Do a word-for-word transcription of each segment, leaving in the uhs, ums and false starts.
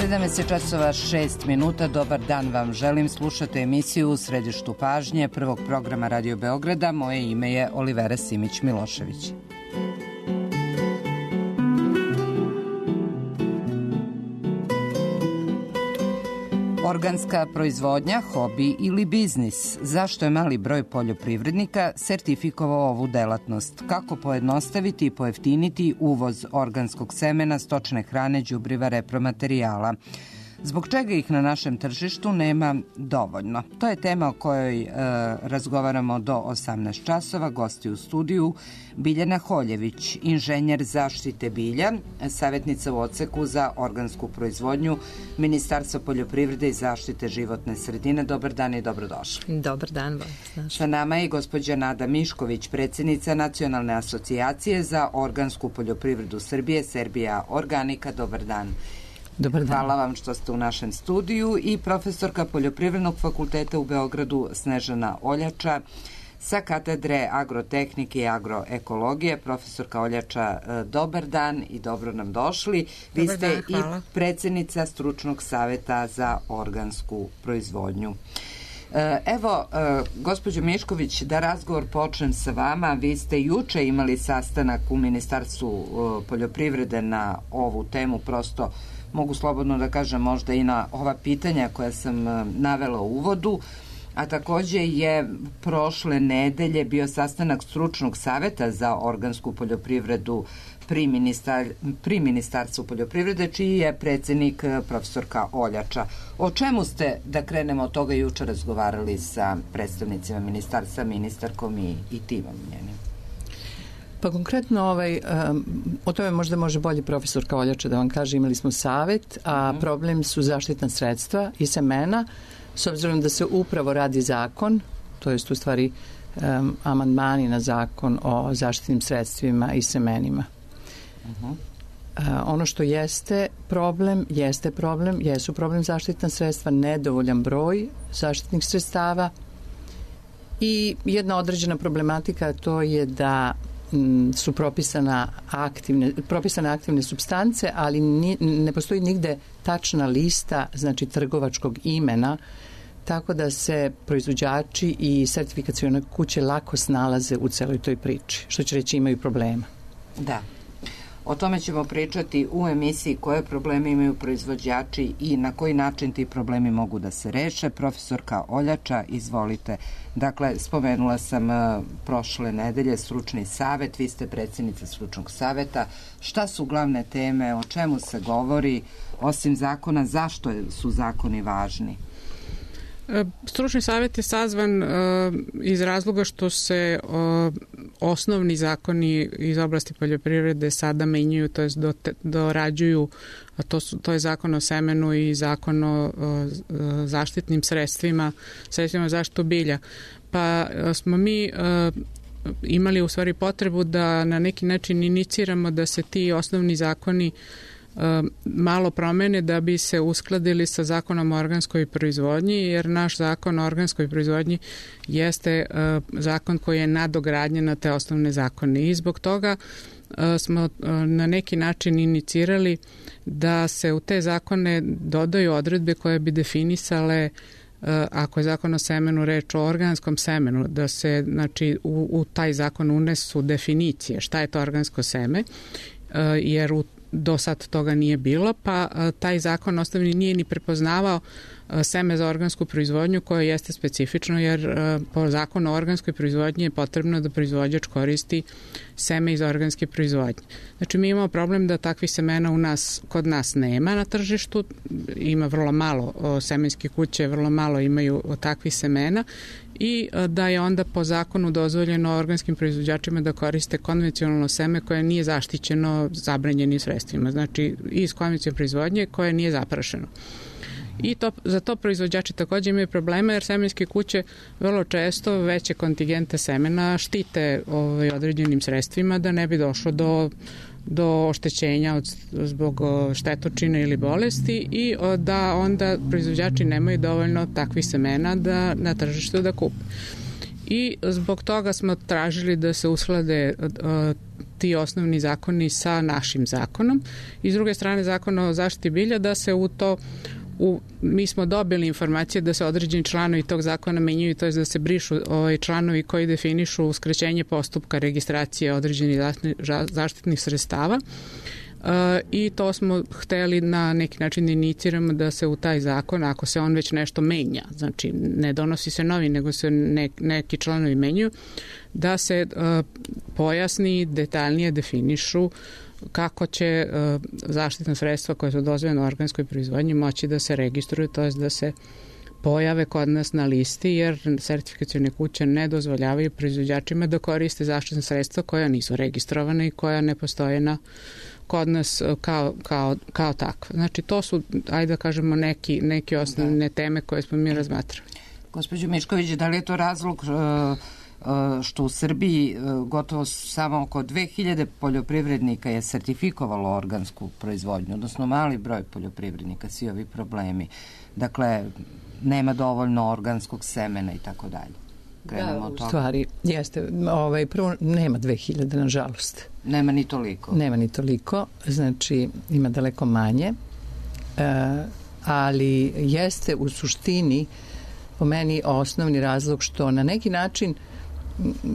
sedamnaest časova šest minuta, dobar dan vam želim, slušate emisiju U središtu pažnje prvog programa Radio Beograda, moje ime je Olivera Simić-Milošević. Organska proizvodnja, hobi ili biznis? Zašto je mali broj poljoprivrednika sertifikovao ovu delatnost? Kako pojednostaviti i pojeftiniti uvoz organskog semena, stočne hrane, đubriva, repromaterijala? Zbog čega ih na našem tržištu nema dovoljno? To je tema o kojoj e, razgovaramo do osamnaest časova. Gosti u studiju Biljana Holjević, inženjer zaštite bilja, savjetnica u odseku za organsku proizvodnju Ministarstva poljoprivrede i zaštite životne sredine. Dobar dan i dobrodošli. Dobar dan. Sa nama je gospođa Nada Mišković, predsjednica Nacionalne asocijacije za organsku poljoprivredu Srbije, Serbia Organika. Dobar dan. Dobar dan. Hvala vam što ste u našem studiju i profesorka Poljoprivrednog fakulteta u Beogradu Snežana Oljača sa katedre agrotehnike i agroekologije. Profesorka Oljača, dobar dan i dobro nam došli. Vi Dobar ste dan, i predsjednica Stručnog saveta za organsku proizvodnju. Evo, gospođo Mišković, da razgovor počnem sa vama. Vi ste juče imali sastanak u Ministarstvu poljoprivrede na ovu temu, prosto mogu slobodno da kažem možda i na ova pitanja koja sam navela u uvodu, a takođe je prošle nedelje bio sastanak Stručnog saveta za organsku poljoprivredu pri, ministar, pri Ministarstvu poljoprivrede, čiji je predsjednik profesorka Oljača. O čemu ste, da krenemo od toga, juče razgovarali sa predstavnicima ministarstva, ministarkom i, i timom njenim? Pa konkretno ovaj, um, o tome možda može bolje profesorka Oljača da vam kaže. Imali smo savet, a mm. problem su zaštitna sredstva i semena, s obzirom da se upravo radi zakon, to jest u stvari um, amandmani na zakon o zaštitnim sredstvima i semenima. Uh-huh. Uh, ono što jeste problem, jeste problem, jesu problem zaštitna sredstva, nedovoljan broj zaštitnih sredstava i jedna određena problematika, to je da m, su propisana aktivne, propisane aktivne supstance, ali ni, ne postoji nigde tačna lista, znači trgovačkog imena, tako da se proizvođači i sertifikacione kuće lako snalaze u celoj toj priči, što će reći imaju problema. Da. O tome ćemo pričati u emisiji koje probleme imaju proizvođači i na koji način ti problemi mogu da se reše. Profesorka Oljača, izvolite. Dakle, spomenula sam uh, prošle nedelje Stručni savet, vi ste predsjednica Stručnog saveta. Šta su glavne teme, o čemu se govori, osim zakona, zašto su zakoni važni? Stručni savjet je sazvan uh, iz razloga što se uh, osnovni zakoni iz oblasti poljoprivrede sada menjaju, to je do, dorađuju, a to, su, to je zakon o semenu i zakon o uh, zaštitnim sredstvima, sredstvima zaštitu bilja. Pa uh, smo mi uh, imali u stvari potrebu da na neki način iniciramo da se ti osnovni zakoni malo promene da bi se uskladili sa zakonom o organskoj proizvodnji, jer naš zakon o organskoj proizvodnji jeste uh, zakon koji je nadogradnjen na te osnovne zakone i zbog toga uh, smo uh, na neki način inicirali da se u te zakone dodaju odredbe koje bi definisale uh, ako je zakon o semenu reč o organskom semenu, da se znači u, u taj zakon unesu definicije šta je to organsko seme, uh, jer u do sad toga nije bilo, pa a, taj zakon osnovni nije ni prepoznavao a, seme za organsku proizvodnju, koje jeste specifično, jer a, po zakonu o organskoj proizvodnji je potrebno da proizvođač koristi seme iz organske proizvodnje. Znači mi imamo problem da takvih semena u nas, kod nas nema na tržištu, ima vrlo malo o, semenske kuće, vrlo malo imaju o, takvih semena i da je onda po zakonu dozvoljeno organskim proizvođačima da koriste konvencionalno seme koje nije zaštićeno zabranjenim sredstvima, znači iz konvencionalne proizvodnje koje nije zaprašeno. I to, za to proizvođači također imaju problema, jer semenske kuće vrlo često veće kontingente semena štite ovaj, određenim sredstvima da ne bi došlo do do oštećenja od, zbog štetočine ili bolesti i da onda proizvođači nemaju dovoljno takvih semena da na tržištu da kupe. I zbog toga smo tražili da se usklade ti osnovni zakoni sa našim zakonom i s druge strane zakon o zaštiti bilja da se u to U, mi smo dobili informacije da se određeni članovi tog zakona menjaju, to je da se brišu ovaj, članovi koji definišu uskraćenje postupka registracije određenih zaštitnih sredstava. E, i to smo hteli na neki način da iniciramo da se u taj zakon, ako se on već nešto menja, znači ne donosi se novi, nego se ne, neki članovi menjaju, da se e, pojasni, detaljnije definišu kako će uh, zaštitna sredstva koja su dozvoljena u organskoj proizvodnji moći da se registruju, to je da se pojave kod nas na listi, jer sertifikacione kuće ne dozvoljavaju proizvođačima da koriste zaštitna sredstva koja nisu registrovane i koja ne postoje na, kod nas kao, kao, kao takva. Znači to su, ajde da kažemo, neki, neki osnovne teme koje smo mi razmatrali. Gospođo Mišković, da li je to razlog uh, što u Srbiji gotovo samo oko dve hiljade poljoprivrednika je sertifikovalo organsku proizvodnju, odnosno mali broj poljoprivrednika, svi ovi problemi. Dakle, nema dovoljno organskog semena i tako dalje. Da, u stvari, jeste, ovaj, prvo nema dve hiljade, nažalost. Nema ni toliko. Nema ni toliko, znači ima daleko manje, e, ali jeste u suštini po meni osnovni razlog što na neki način,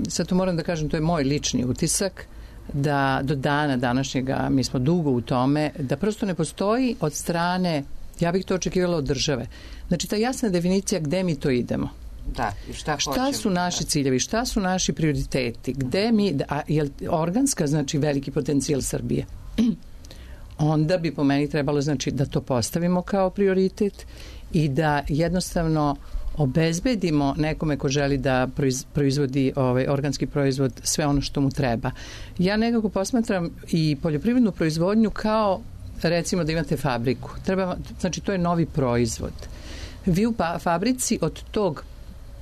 sad to moram da kažem, to je moj lični utisak, da do dana današnjega, mi smo dugo u tome, da prosto ne postoji od strane, ja bih to očekivala od države. Znači ta jasna definicija gde mi to idemo. Da, i šta, šta hoćemo, su naši da. ciljevi, šta su naši prioriteti, gde mi, a je organska znači veliki potencijal Srbije. Onda bi po meni trebalo znači da to postavimo kao prioritet i da jednostavno obezbedimo nekome ko želi da proizvodi ovaj organski proizvod sve ono što mu treba. Ja nekako posmatram i poljoprivrednu proizvodnju kao recimo da imate fabriku. Treba, znači to je novi proizvod. Vi u pa, fabrici od tog,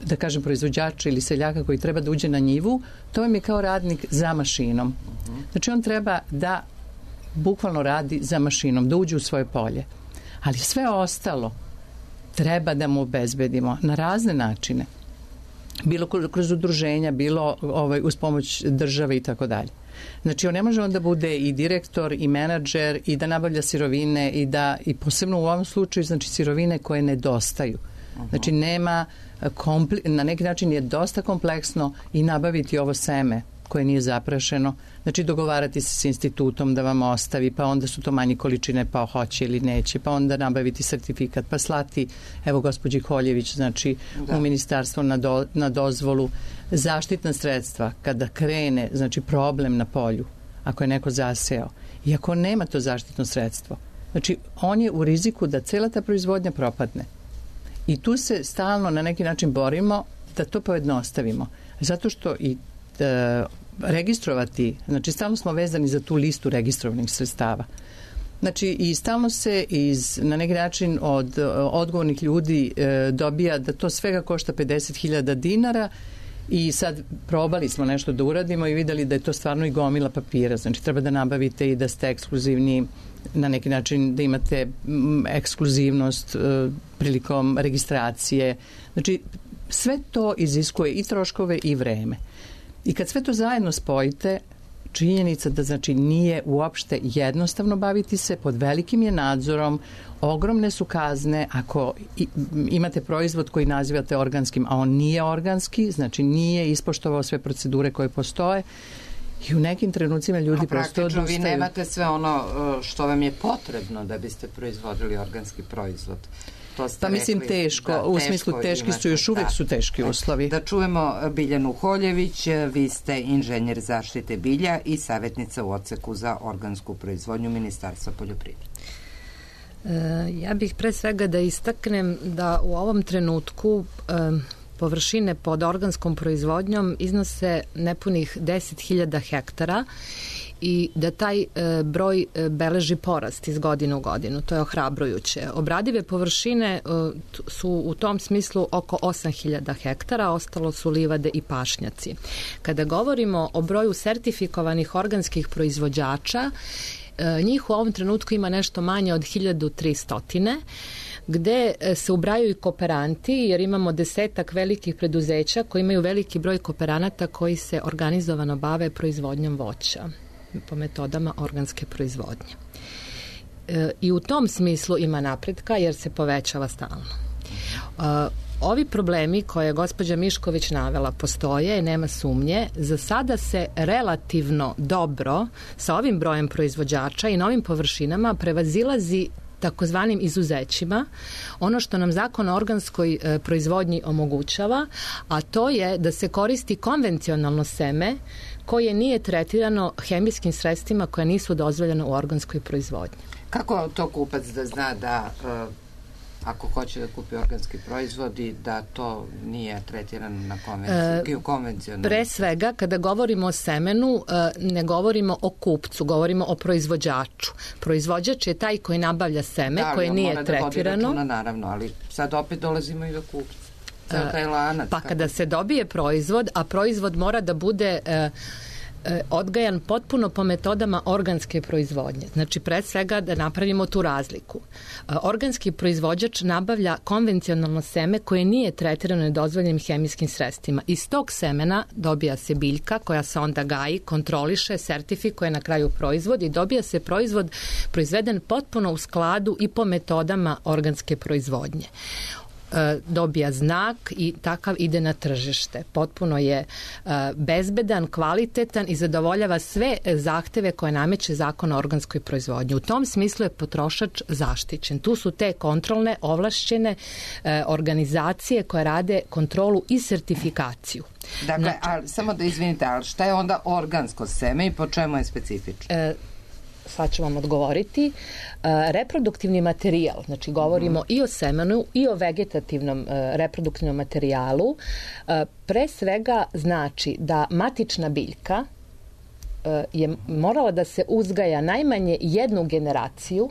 da kažem, proizvođača ili seljaka koji treba da uđe na njivu, to vam je kao radnik za mašinom. Znači on treba da bukvalno radi za mašinom, da uđe u svoje polje. Ali sve ostalo treba da mu obezbedimo na razne načine. Bilo kroz udruženja, bilo ovaj, uz pomoć države i tako dalje. Znači, on ne može onda bude i direktor i menadžer i da nabavlja sirovine i da, i posebno u ovom slučaju, znači sirovine koje nedostaju. Znači, nema, kompli, na neki način je dosta kompleksno i nabaviti ovo seme koje nije zaprašeno. Znači, dogovarati se s institutom da vam ostavi, pa onda su to manje količine, pa hoće ili neće, pa onda nabaviti sertifikat, pa slati, evo, gospođi Koljević, znači, da. u ministarstvo na, do, na dozvolu. Zaštitna sredstva, kada krene, znači, problem na polju, ako je neko zaseo, i ako nema to zaštitno sredstvo, znači, on je u riziku da cela ta proizvodnja propadne. I tu se stalno na neki način borimo da to pojednostavimo. Zato što i e, registrovati, znači stalno smo vezani za tu listu registrovanih sredstava. Znači i stalno se iz, na neki način od odgovornih ljudi e, dobija da to svega košta pedeset hiljada dinara i sad probali smo nešto da uradimo i videli da je to stvarno i gomila papira. Znači treba da nabavite i da ste ekskluzivni, na neki način da imate m, ekskluzivnost e, prilikom registracije. Znači sve to iziskuje i troškove i vreme. I kad sve to zajedno spojite, činjenica da znači nije uopšte jednostavno baviti se, pod velikim je nadzorom, ogromne su kazne ako imate proizvod koji nazivate organskim, a on nije organski, znači nije ispoštovao sve procedure koje postoje i u nekim trenucima ljudi prosto odustaju. Vi nemate sve ono što vam je potrebno da biste proizvodili organski proizvod. Pa mislim rekli, teško, da, u smislu teški imate, su još uvek da, su teški uslovi. Da čujemo Biljanu Koljević, vi ste inženjer zaštite bilja i savjetnica u odseku za organsku proizvodnju Ministarstva poljoprivrede. E, ja bih pre svega da istaknem da u ovom trenutku e, površine pod organskom proizvodnjom iznose nepunih deset hiljada hektara i da taj e, broj e, beleži porast iz godine u godinu. To je ohrabrujuće. Obradive površine e, su u tom smislu oko osam hiljada hektara, ostalo su livade i pašnjaci. Kada govorimo o broju sertifikovanih organskih proizvođača, e, njih u ovom trenutku ima nešto manje od hiljadu tristo, gde se ubraju i kooperanti, jer imamo desetak velikih preduzeća koji imaju veliki broj kooperanata koji se organizovano bave proizvodnjom voća. po metodama organske proizvodnje. E, I u tom smislu ima napretka jer se povećava stalno. E, Ovi problemi koje je gospođa Mišković navela postoje i nema sumnje. Za sada se relativno dobro sa ovim brojem proizvođača i novim površinama prevazilazi takozvanim izuzećima, ono što nam zakon o organskoj e, proizvodnji omogućava, a to je da se koristi konvencionalno seme koje nije tretirano hemijskim sredstvima koja nisu dozvoljena u organskoj proizvodnji. Kako to kupac da zna da e, ako hoće da kupi organski proizvod i da to nije tretirano na konvenciju, e, konvencionalno? Pre svega, kada govorimo o semenu, ne govorimo o kupcu, govorimo o proizvođaču. Proizvođač je taj koji nabavlja seme, da, koje nije tretirano. Da, ali on mora da vodi računa, naravno, ali sad opet dolazimo i do kupca. Ceo taj lanac. Pa kada se dobije proizvod, a proizvod mora da bude e, e, odgajan potpuno po metodama organske proizvodnje. Znači, pre svega da napravimo tu razliku. E, organski proizvođač nabavlja konvencionalno seme koje nije tretirano nedozvoljenim hemijskim sredstvima. Iz tog semena dobija se biljka koja se onda gaji, kontroliše, sertifikuje na kraju proizvod i dobija se proizvod proizveden potpuno u skladu i po metodama organske proizvodnje. Dobija znak i takav ide na tržište. Potpuno je bezbedan, kvalitetan i zadovoljava sve zahteve koje nameće zakon o organskoj proizvodnji. U tom smislu je potrošač zaštićen. Tu su te kontrolne, ovlašćene organizacije koje rade kontrolu i sertifikaciju. Dakle, znači, ali, samo da izvinite, ali šta je onda organsko seme i po čemu je specifično? E, sad ću vam odgovoriti. Reproduktivni materijal, znači govorimo mm. i o semenu i o vegetativnom reproduktivnom materijalu, pre svega znači da matična biljka je morala da se uzgaja najmanje jednu generaciju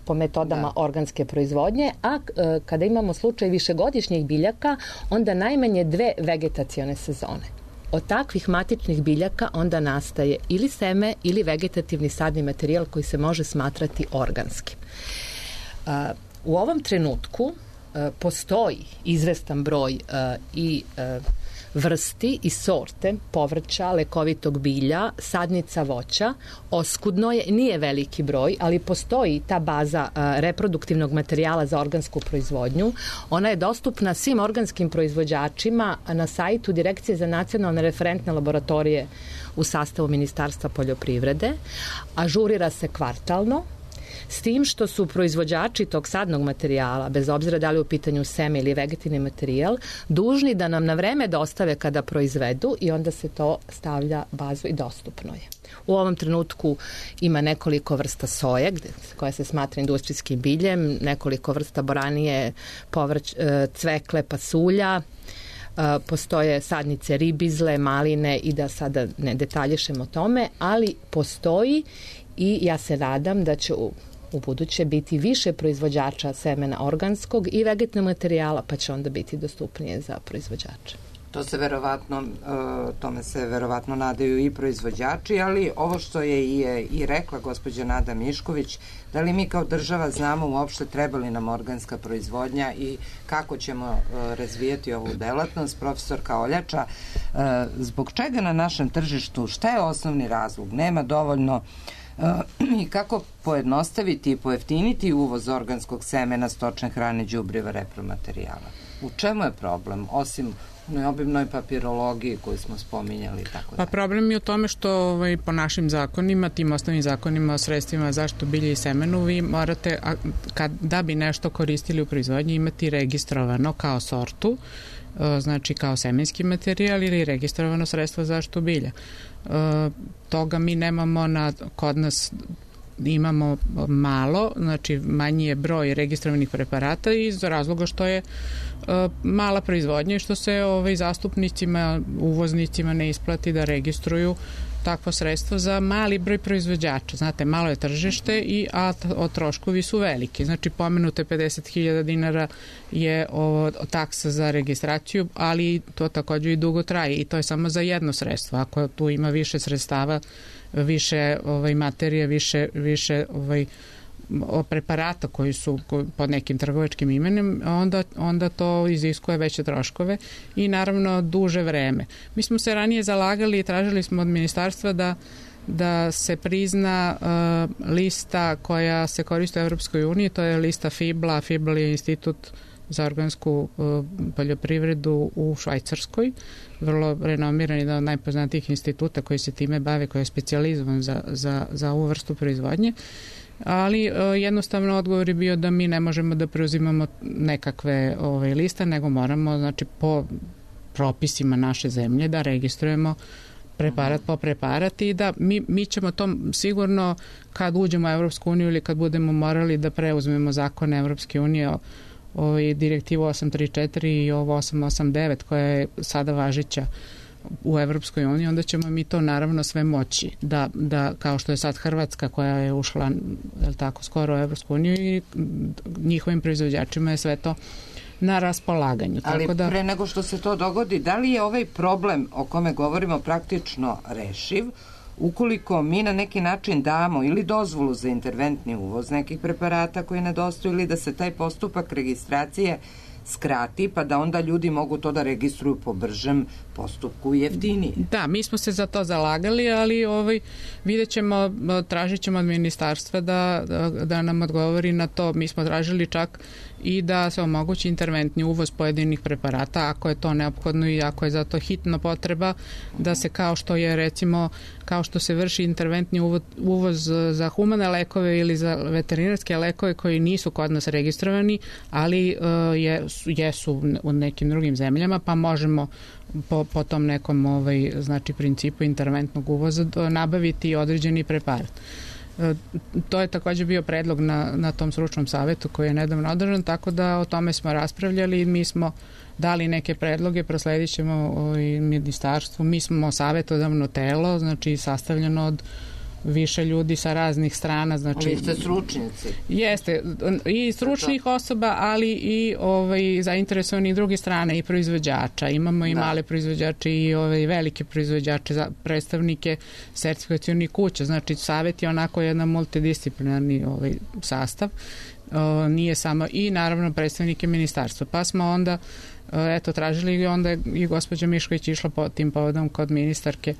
po metodama da. organske proizvodnje, a kada imamo slučaj višegodišnjih biljaka, onda najmanje dve vegetacione sezone. Od takvih matičnih biljaka onda nastaje ili seme ili vegetativni sadni materijal koji se može smatrati organskim. U ovom trenutku postoji izvestan broj i vrsti i sorte povrća, lekovitog bilja, sadnica voća. Oskudno je, nije veliki broj, ali postoji ta baza reproduktivnog materijala za organsku proizvodnju. Ona je dostupna svim organskim proizvođačima na sajtu Direkcije za nacionalne referentne laboratorije u sastavu Ministarstva poljoprivrede. Ažurira se kvartalno, s tim što su proizvođači tog sadnog materijala, bez obzira da li u pitanju seme ili vegetativni materijal, dužni da nam na vreme dostave kada proizvedu i onda se to stavlja bazu i dostupno je. U ovom trenutku ima nekoliko vrsta soje koja se smatra industrijskim biljem, nekoliko vrsta boranije, povrć, cvekle, pasulja, postoje sadnice ribizle, maline i da sada ne detaljišemo o tome, ali postoji i ja se nadam da će u, u buduće biti više proizvođača semena organskog i vegetativnog materijala, pa će onda biti dostupnije za proizvođače. To se verovatno, tome se verovatno nadaju i proizvođači, ali ovo što je i, i rekla gospođa Nada Mišković, da li mi kao država znamo uopšte treba li nam organska proizvodnja i kako ćemo razvijati ovu delatnost? Profesorka Oljača, zbog čega na našem tržištu, šta je osnovni razlog? Nema dovoljno i kako pojednostaviti i pojeftiniti uvoz organskog semena, stočne hrane, đubriva, repromaterijala? U čemu je problem, osim u obimnoj papirologiji koju smo spominjali? Tako pa problem je u tome što ovaj, po našim zakonima, tim osnovnim zakonima o sredstvima zaštitu bilja i semenu, vi morate, a, kad, da bi nešto koristili u proizvodnji, imati registrovano kao sortu, znači kao semenski materijal ili registrovano sredstvo za zaštitu bilja. E, toga mi nemamo na, kod nas imamo malo, znači manji je broj registrovanih preparata iz razloga što je e, mala proizvodnja i što se ovaj, zastupnicima, uvoznicima ne isplati da registruju takvo sredstvo za mali broj proizvođača. Znate, malo je tržište, i, a o troškovi su veliki. Znači, pomenute pedeset hiljada dinara je o, o taksa za registraciju, ali to također i dugo traje i to je samo za jedno sredstvo. Ako tu ima više sredstava, više ovaj, materije, više, više ovaj, preparata koji su pod nekim trgovačkim imenom, onda, onda to iziskuje veće troškove i naravno duže vreme. Mi smo se ranije zalagali i tražili smo od ministarstva da da se prizna uh, lista koja se koristi u Evropskoj uniji, to je lista FIBLA. FIBL je institut za organsku uh, poljoprivredu u Švajcarskoj, vrlo renomiran, jedan od najpoznatijih instituta koji se time bave, koji je specijalizovan za, za, za ovu vrstu proizvodnje. Ali uh, jednostavno odgovor je bio da mi ne možemo da preuzimamo nekakve ove, liste, nego moramo, znači, po propisima naše zemlje da registrujemo preparat po preparat i da mi, mi ćemo to sigurno kad uđemo u Evropsku uniju ili kad budemo morali da preuzmemo zakone Evropske unije, ovaj, direktivu osam tri četiri i ovo osam osam devet koja je sada važeća u Evropskoj uniji, onda ćemo mi to naravno sve moći da, da kao što je sad Hrvatska koja je ušla, je li tako, skoro u Evropsku uniju i njihovim proizvođačima je sve to na raspolaganju. Ali tako da, pre nego što se to dogodi, da li je ovaj problem o kome govorimo praktično rešiv ukoliko mi na neki način damo ili dozvolu za interventni uvoz nekih preparata koji nedostaju ili da se taj postupak registracije skrati, pa da onda ljudi mogu to da registruju po bržem postupku i jeftinije. Da, mi smo se za to zalagali, ali ovaj, vidjet ćemo, tražit ćemo od ministarstva da, da, da nam odgovori na to. Mi smo tražili čak i da se omogući interventni uvoz pojedinih preparata ako je to neophodno i ako je za to hitno potreba da se, kao što je recimo kao što se vrši interventni uvoz, uvoz za humane lekove ili za veterinarske lekove koji nisu kod nas registrovani, ali uh, je, jesu u nekim drugim zemljama, pa možemo po, po tom nekom ovaj, znači principu interventnog uvoza nabaviti određeni preparat. To je također bio predlog na, na tom stručnom savetu koji je nedavno održan, tako da o tome smo raspravljali i mi smo dali neke predloge, prosledit ćemo i ministarstvu. Mi smo savetodavno telo, znači sastavljeno od više ljudi sa raznih strana. Znači, vi ste stručnjaci. Jeste, i stručnih osoba, ali i ovaj, zainteresovani druge strane i proizvođača. Imamo i da. male proizvođače i ovaj, velike proizvođače, za predstavnike sertifikacionih kuća. Znači, savet je onako jedan multidisciplinarni ovaj, sastav. O, nije samo, i naravno predstavnike ministarstva. Pa smo onda eto, tražili i onda je i gospođa Mišković išla po tim povodom kod ministarke.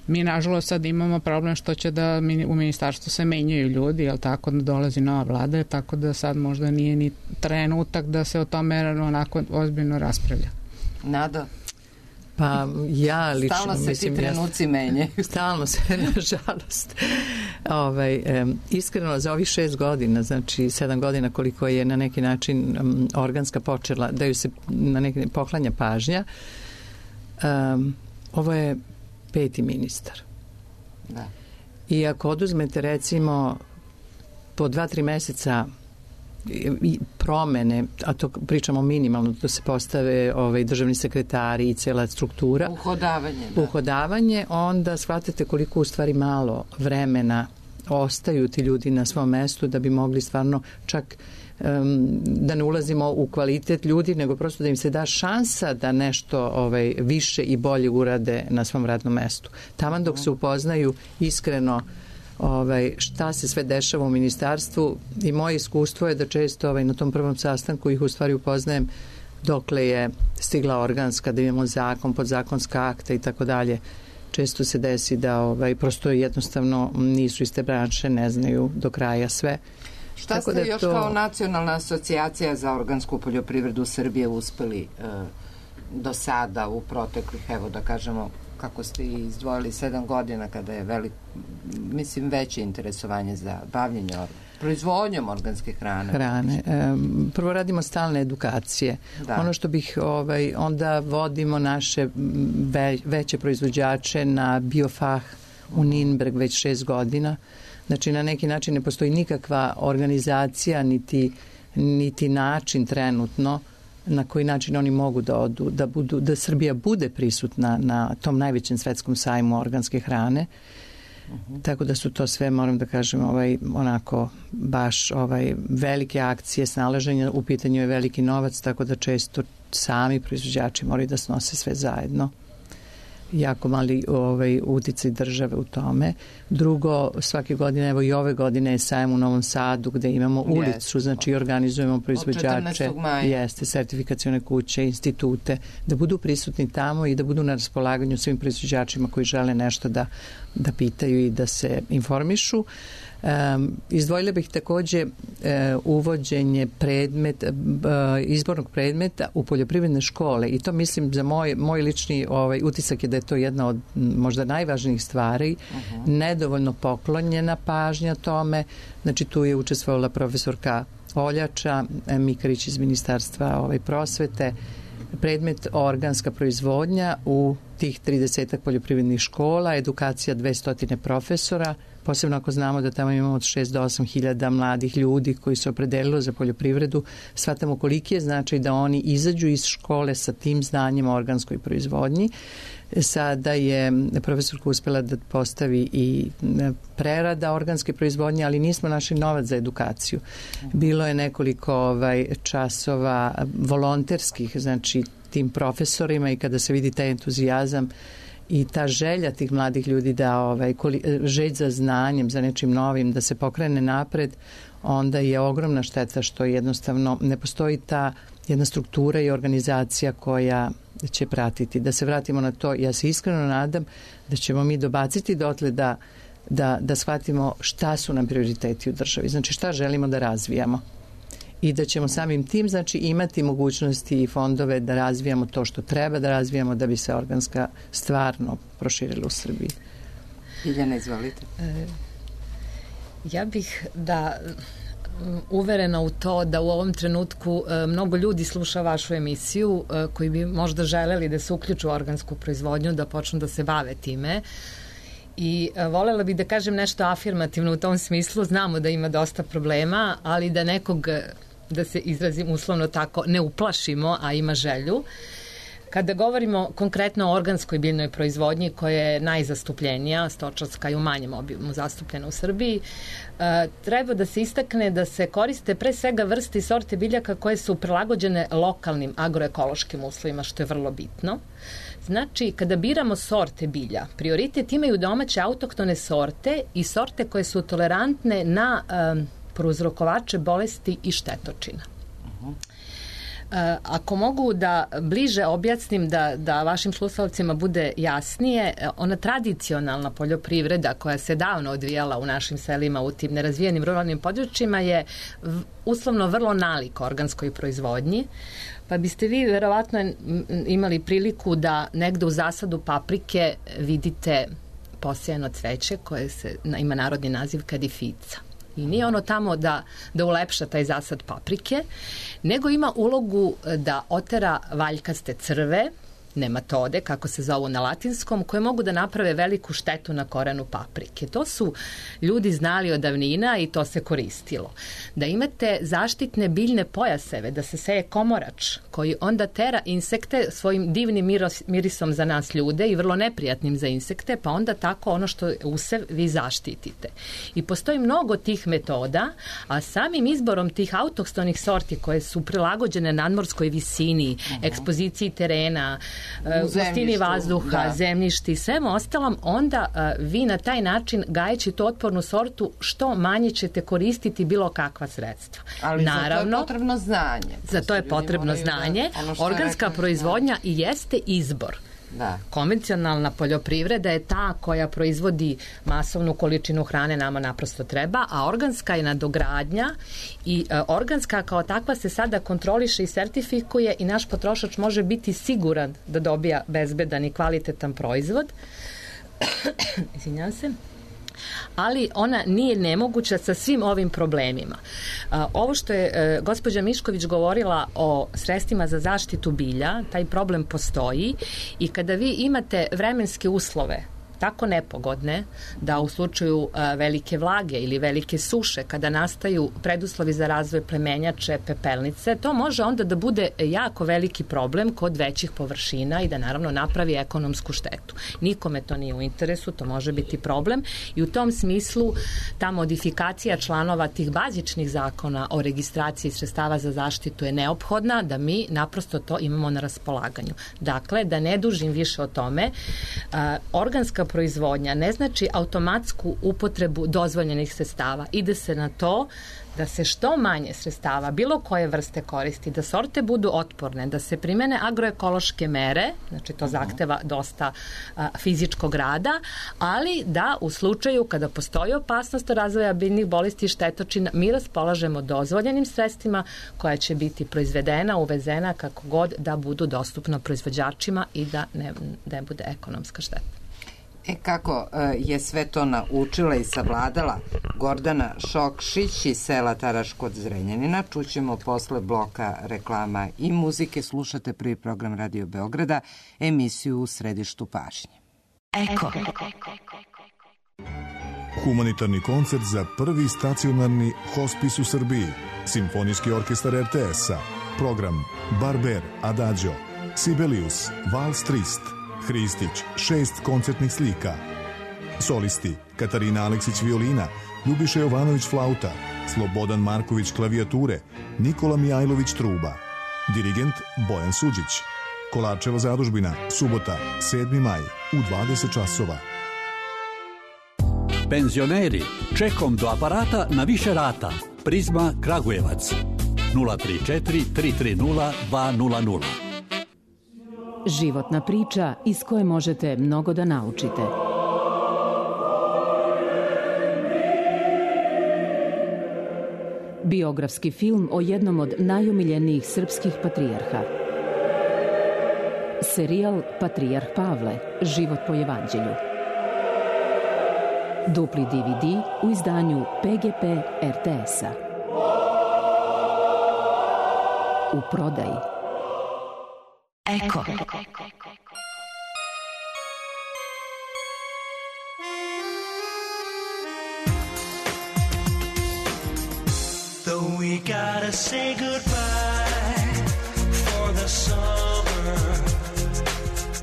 Mi, nažalost, sad imamo problem što će da u ministarstvu se menjaju ljudi, jel tako, da dolazi nova vlada, tako da sad možda nije ni trenutak da se o tome onako ozbiljno raspravlja. Nada? Pa ja lično stalno se mislim, ti trenuci ja, menjaju. Stalno se, nažalost. Ovaj, e, iskreno, za ovih šest godina, znači sedam godina koliko je na neki način um, organska počela, da ju se na neki poklanja pažnja, um, ovo je peti ministar. Da. I ako oduzmete recimo po dva, tri meseca i promene, a to pričamo minimalno, da se postave ovaj, državni sekretari i cela struktura. Uhodavanje. Da. Uhodavanje, onda shvatite koliko u stvari malo vremena ostaju ti ljudi na svom mestu da bi mogli stvarno čak um, da ne ulazimo u kvalitet ljudi, nego prosto da im se da šansa da nešto ovaj, više i bolje urade na svom radnom mestu. Taman dok se upoznaju iskreno Ovaj, šta se sve dešava u ministarstvu i moje iskustvo je da često ovaj, na tom prvom sastanku ih u stvari upoznajem dokle je stigla organska, da imamo zakon, podzakonska akta i tako dalje. Često se desi da ovaj, prosto jednostavno nisu iste branše, ne znaju do kraja sve. Šta tako ste da još to... kao Nacionalna asocijacija za organsku poljoprivredu Srbije uspeli e, do sada u proteklih, evo da kažemo, kako ste izdvojili sedam godina kada je velik, mislim, veće interesovanje za bavljenje proizvodnjom organske hrane. Hrane. E, prvo radimo stalne edukacije. Da. Ono što bih, ovaj, onda vodimo naše ve, veće proizvođače na Biofah u Ninberg već šest godina. Znači, na neki način ne postoji nikakva organizacija, niti, niti način trenutno na koji način oni mogu da odu, da, budu, da Srbija bude prisutna na tom najvećem svetskom sajmu organske hrane. Uh-huh. Tako da su to sve, moram da kažem, ovaj, onako baš ovaj, velike akcije snalaženja, u pitanju je veliki novac, tako da često sami proizvođači moraju da snose sve zajedno. jako mali ovaj, uticaj države u tome. Drugo, svake godine, evo i ove godine je sajam u Novom Sadu gde imamo ulicu, yes. znači organizujemo proizvođače, jeste, sertifikacione kuće, institute, da budu prisutni tamo i da budu na raspolaganju svim proizvođačima koji žele nešto da, da pitaju i da se informišu. Um, izdvojila bih takođe uh, uvođenje predmet, uh, izbornog predmeta u poljoprivredne škole i to mislim za moj, moj lični ovaj, utisak je da je to jedna od možda najvažnijih stvari, uh-huh. nedovoljno poklonjena pažnja tome, znači tu je učestvovala profesorka Oljača, Mikarić iz Ministarstva ovaj, prosvete, predmet organska proizvodnja u tih tridesetak poljoprivrednih škola, edukacija dvesta profesora, posebno ako znamo da tamo imamo od šest do osam hiljada mladih ljudi koji su opredelili za poljoprivredu, shvatamo koliki je značaj da oni izađu iz škole sa tim znanjem o organskoj proizvodnji. Sada je profesorka uspela da postavi i prerada organske proizvodnje, ali nismo našli novac za edukaciju. Bilo je nekoliko ovaj, časova volonterskih, znači tim profesorima i kada se vidi taj entuzijazam i ta želja tih mladih ljudi da ovaj, želj za znanjem, za nečim novim, da se pokrene napred, onda je ogromna šteta što jednostavno ne postoji ta jedna struktura i organizacija koja će pratiti. Da se vratimo na to, ja se iskreno nadam da ćemo mi dobaciti dotle da, da, da shvatimo šta su nam prioriteti u državi, znači šta želimo da razvijamo. I da ćemo samim tim znači imati mogućnosti i fondove da razvijamo to što treba da razvijamo da bi se organska stvarno proširila u Srbiji. Biljana, izvolite. E, ja bih da uverena u to da u ovom trenutku e, mnogo ljudi sluša vašu emisiju e, koji bi možda želeli da se uključu u organsku proizvodnju, da počnu da se bave time. I e, volela bih da kažem nešto afirmativno u tom smislu. Znamo da ima dosta problema, ali da nekog, da se izrazim uslovno tako, ne uplašimo, a ima želju. Kada govorimo konkretno o organskoj biljnoj proizvodnji koja je najzastupljenija, stočarska i u manjem obimu zastupljena u Srbiji, e, treba da se istakne da se koriste pre svega vrste i sorte biljaka koje su prilagođene lokalnim agroekološkim uslovima, što je vrlo bitno. Znači, kada biramo sorte bilja, prioritet imaju domaće autohtone sorte i sorte koje su tolerantne na um, prouzrokovače bolesti i štetočina. Uh-huh. Uh, ako mogu da bliže objasnim da, da vašim slušalcima bude jasnije, ona tradicionalna poljoprivreda koja se davno odvijala u našim selima u tim nerazvijenim ruralnim područjima je v, uslovno vrlo nalik organskoj proizvodnji. Pa biste vi verovatno imali priliku da negde u zasadu paprike vidite posejano cveće koje se, ima narodni naziv kadifica. I nije ono tamo da, da ulepša taj zasad paprike, nego ima ulogu da otera valjkaste crve, nematode, kako se zovu na latinskom, koje mogu da naprave veliku štetu na korenu paprike. To su ljudi znali od davnina i to se koristilo. Da imate zaštitne biljne pojaseve, da se seje komorač, koji onda tera insekte svojim divnim miros, mirisom za nas ljude i vrlo neprijatnim za insekte, pa onda tako ono što je usev vi zaštitite. I postoji mnogo tih metoda, a samim izborom tih autohtonih sorti koje su prilagođene nadmorskoj visini, uh-huh. ekspoziciji terena, gustini vazduha, da. zemljišti i svemu ostalom, onda uh, vi na taj način gajeći tu otpornu sortu što manje ćete koristiti bilo kakva sredstva. Ali Naravno, za to je potrebno znanje. Za to je potrebno znanje. Da, organska rekao, proizvodnja da. i jeste izbor. Da. Konvencionalna poljoprivreda je ta koja proizvodi masovnu količinu hrane, nama naprosto treba, a organska je nadogradnja i e, organska kao takva se sada kontroliše i sertifikuje i naš potrošač može biti siguran da dobija bezbedan i kvalitetan proizvod. Izvinjavam se. Ali ona nije nemoguća sa svim ovim problemima. A, ovo što je e, gospođa Mišković govorila o sredstvima za zaštitu bilja, taj problem postoji i kada vi imate vremenske uslove tako nepogodne da u slučaju a, velike vlage ili velike suše, kada nastaju preduslovi za razvoj plemenjače, pepelnice, to može onda da bude jako veliki problem kod većih površina i da naravno napravi ekonomsku štetu. Nikome to nije u interesu, to može biti problem i u tom smislu ta modifikacija članova tih bazičnih zakona o registraciji sredstava za zaštitu je neophodna da mi naprosto to imamo na raspolaganju. Dakle, da ne dužim više o tome, a, organska proizvodnja ne znači automatsku upotrebu dozvoljenih sredstava. Ide se na to da se što manje sredstava bilo koje vrste koristi, da sorte budu otporne, da se primene agroekološke mere, znači to zahteva dosta a, fizičkog rada, ali da u slučaju kada postoji opasnost razvoja biljnih bolesti i štetočina, mi raspolažemo dozvoljenim sredstvima koja će biti proizvedena, uvezena kako god da budu dostupna proizvođačima i da ne, ne bude ekonomska šteta. E kako je sve to naučila i savladala Gordana Šokšić iz sela Taraš kod Zrenjanina, čućemo posle bloka reklama i muzike. Slušate prvi program Radio Beograda, emisiju U središtu pažnje. Eko. Humanitarni koncert za prvi stacionarni hospis u Srbiji. Simfonijski orkestar er te es-a. Program Barber, Adagio, Sibelius, Vals Trist, Hristić, šest koncertnih slika. Solisti Katarina Aleksić violina, Ljubiša Jovanović flauta, Slobodan Marković klavijature, Nikola Mijajlović truba. Dirigent Bojan Suđić. Kolarčeva zadužbina, subota, sedmi maj, u dvadeset časova. Penzioneri, čekom do aparata na više rata. Prizma Kragujevac. nula tri četiri tri tri nula dva nula nula. Životna priča iz koje možete mnogo da naučite. Biografski film o jednom od najomiljenijih srpskih patrijarha. Serijal Patrijarh Pavle, život po evanđelju. Dupli de ve de u izdanju pe ge pe er te es-a. U prodaji. Eko. Though we gotta say goodbye for the summer,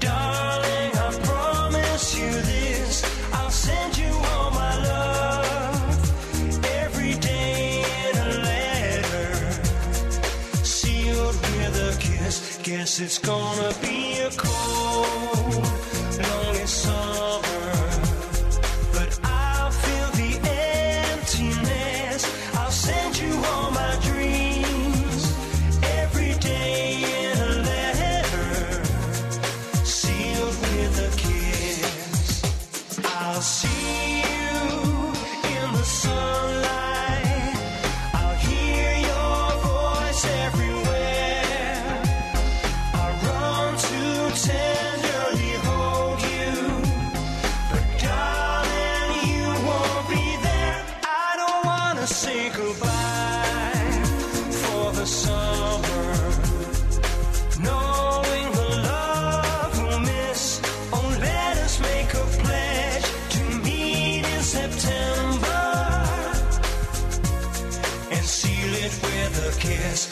darling, I promise you this, I'll send you all my love every day in a letter, sealed with a kiss. Guess it's gonna be a cold, lonely summer, but I'll feel the emptiness. I'll send you all my dreams every day in a letter, sealed with a kiss. I'll see you in the sunlight, I'll hear your voice everywhere, I'll run to tenderly hold you, but darling, you won't be there. I don't wanna say goodbye for the summer, knowing the love we'll miss. Oh, let us make a pledge to meet in September and seal it with a kiss.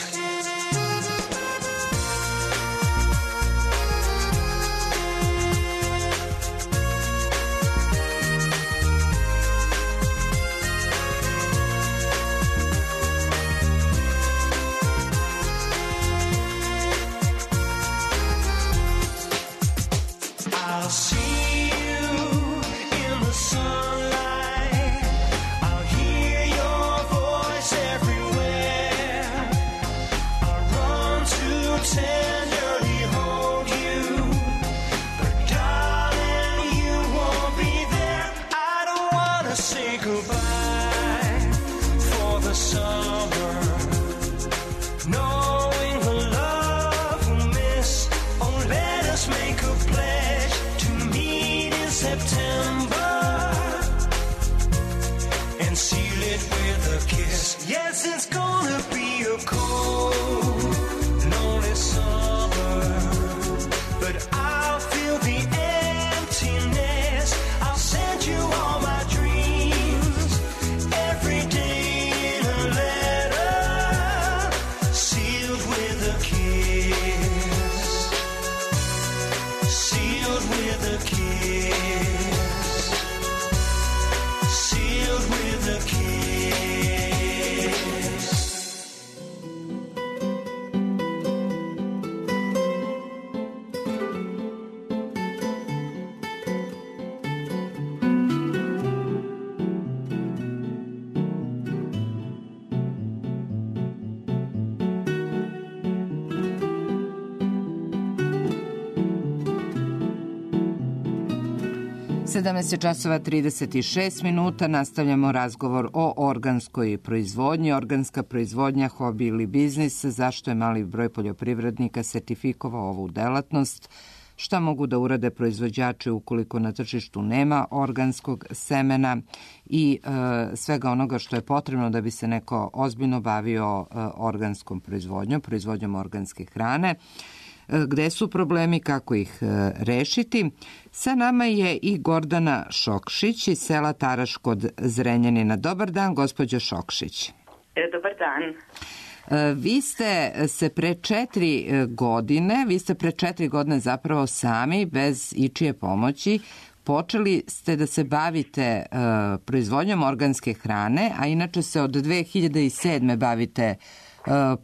I'll see you in the sunlight, I'll hear your voice everywhere, I'll run to tenderly hold you, but darling, you won't be there. I don't wanna say goodbye for the summer, knowing the love we'll miss. Oh, let us make a pledge to meet in September and seal it with a kiss. Yes, it's gonna be a cold, lonely summer, but I'll feel the emptiness. sedamnaest časova trideset šest minuta, nastavljamo razgovor o organskoj proizvodnji. Organska proizvodnja, hobi ili biznis, zašto je mali broj poljoprivrednika sertifikovao ovu delatnost, šta mogu da urade proizvođači ukoliko na tržištu nema organskog semena i e, svega onoga što je potrebno da bi se neko ozbiljno bavio e, organskom proizvodnjom, proizvodnjom organske hrane. Gde su problemi, kako ih rešiti. Sa nama je i Gordana Šokšić iz sela Taraš kod Zrenjanina. Dobar dan, gospođo Šokšić. Dobar dan. Vi ste se pre četiri godine, vi ste pre četiri godine zapravo sami, bez ičije pomoći, počeli ste da se bavite uh, proizvodnjom organske hrane, a inače se od dve hiljade sedme bavite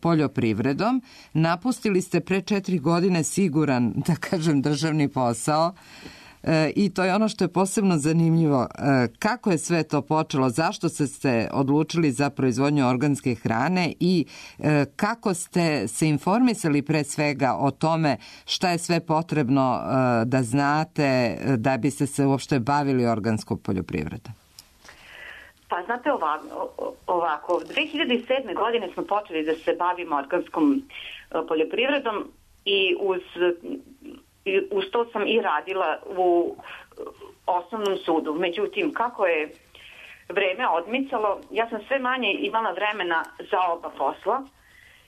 poljoprivredom. Napustili ste pre četiri godine siguran, da kažem, državni posao e, i to je ono što je posebno zanimljivo. E, kako je sve to počelo? Zašto ste se odlučili za proizvodnju organske hrane i e, kako ste se informisali pre svega o tome šta je sve potrebno e, da znate da biste se uopšte bavili organskom poljoprivredom? Pa znate ovako, ovako, dve hiljade sedme godine smo počeli da se bavimo organskom poljoprivredom i uz, uz to sam i radila u osnovnom sudu. Međutim, kako je vreme odmicalo, ja sam sve manje imala vremena za oba posla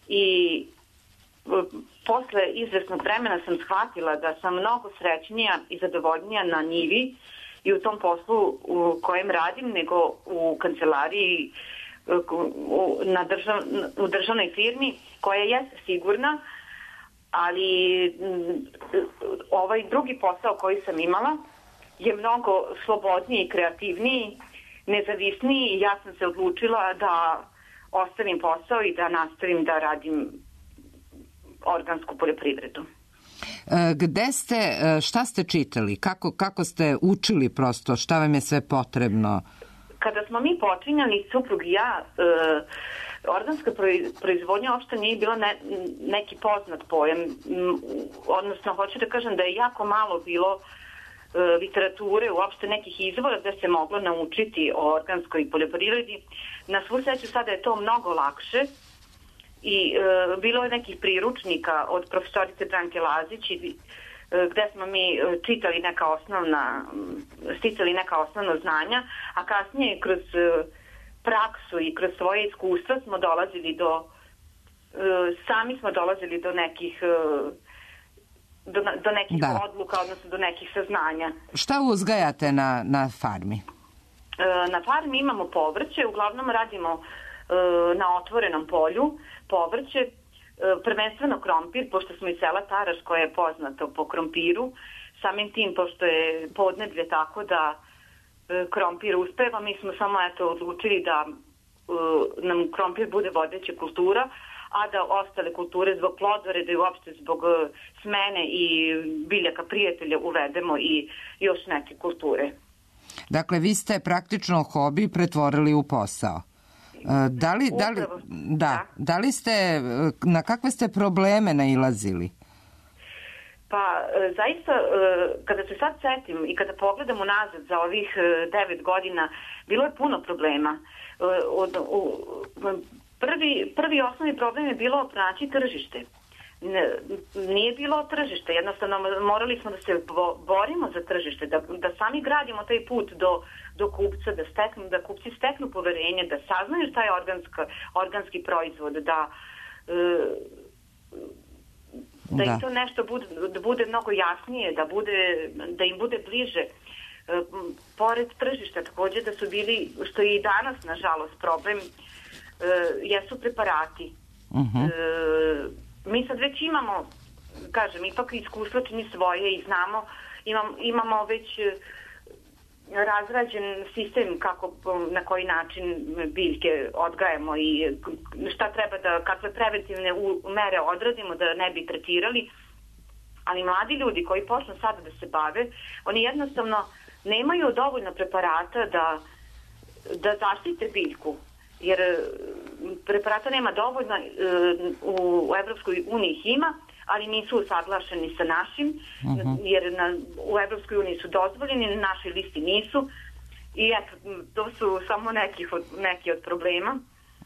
i posle izvesnog vremena sam shvatila da sam mnogo srećnija i zadovoljnija na njivi i u tom poslu u kojem radim, nego u kancelariji na držav, u državnoj firmi koja je sigurna, ali ovaj drugi posao koji sam imala je mnogo slobodniji, kreativniji, nezavisniji i ja sam se odlučila da ostavim posao i da nastavim da radim organsku poljoprivredu. Gde ste, šta ste čitali? Kako, kako ste učili prosto? Šta vam je sve potrebno? Kada smo mi počinjali, suprug i ja, e, organska proizvodnja uopšte nije bila ne, neki poznat pojam. Odnosno, hoću da kažem da je jako malo bilo e, literature, uopšte nekih izvora da se moglo naučiti o organskoj poljoprivredi. Na svu sreću sada je to mnogo lakše. I e, bilo je nekih priručnika od profesorice Branke Lazić i, e, gde smo mi čitali neka osnovna, sticali neka osnovna znanja, a kasnije kroz e, praksu i kroz svoje iskustva smo dolazili do, e, sami smo dolazili do nekih, e, do, do nekih da. odluka, odnosno do nekih saznanja. Šta uzgajate na, na farmi? E, na farmi imamo povrće, uglavnom radimo e, na otvorenom polju, povrće, prvenstveno krompir, pošto smo iz sela Taraš koja je poznato po krompiru, samim tim pošto je podneblje tako da krompir uspeva, mi smo samo eto odlučili da nam krompir bude vodeća kultura, a da ostale kulture zbog plodoreda i uopšte zbog smene i biljaka prijatelja uvedemo i još neke kulture. Dakle, vi ste praktično hobi pretvorili u posao. Da li, da, li, da, da li ste, na kakve ste probleme nailazili? Pa zaista, kada se sad setim i kada pogledam unazad za ovih devet godina, bilo je puno problema. Prvi, prvi osnovni problem je bilo pronaći tržište. Nije bilo tržište, jednostavno morali smo da se borimo za tržište, da, da sami gradimo taj put do, do kupca, da, steknu, da kupci steknu poverenje, da saznaju šta je organska, organski proizvod, da, da, da im to nešto bude, da bude mnogo jasnije, da, bude, da im bude bliže. Pored tržišta takođe da su bili, što je i danas nažalost problem, jesu preparati. Uh-huh. Mi sad već imamo, kažem, ipak iskustvo čini svoje i znamo, imam, imamo već razrađen sistem kako, na koji način biljke odgajamo i šta treba da, kakve preventivne mere odradimo da ne bi tretirali, ali mladi ljudi koji počnu sada da se bave, oni jednostavno nemaju dovoljno preparata da, da zaštite biljku, jer preparata nema dovoljno, u Evropskoj uniji ih ima, ali nisu usaglašeni sa našim, uh-huh. jer na, u Evropskoj uniji su dozvoljeni, na našoj listi nisu. I eto, to su samo neki od, neki od problema.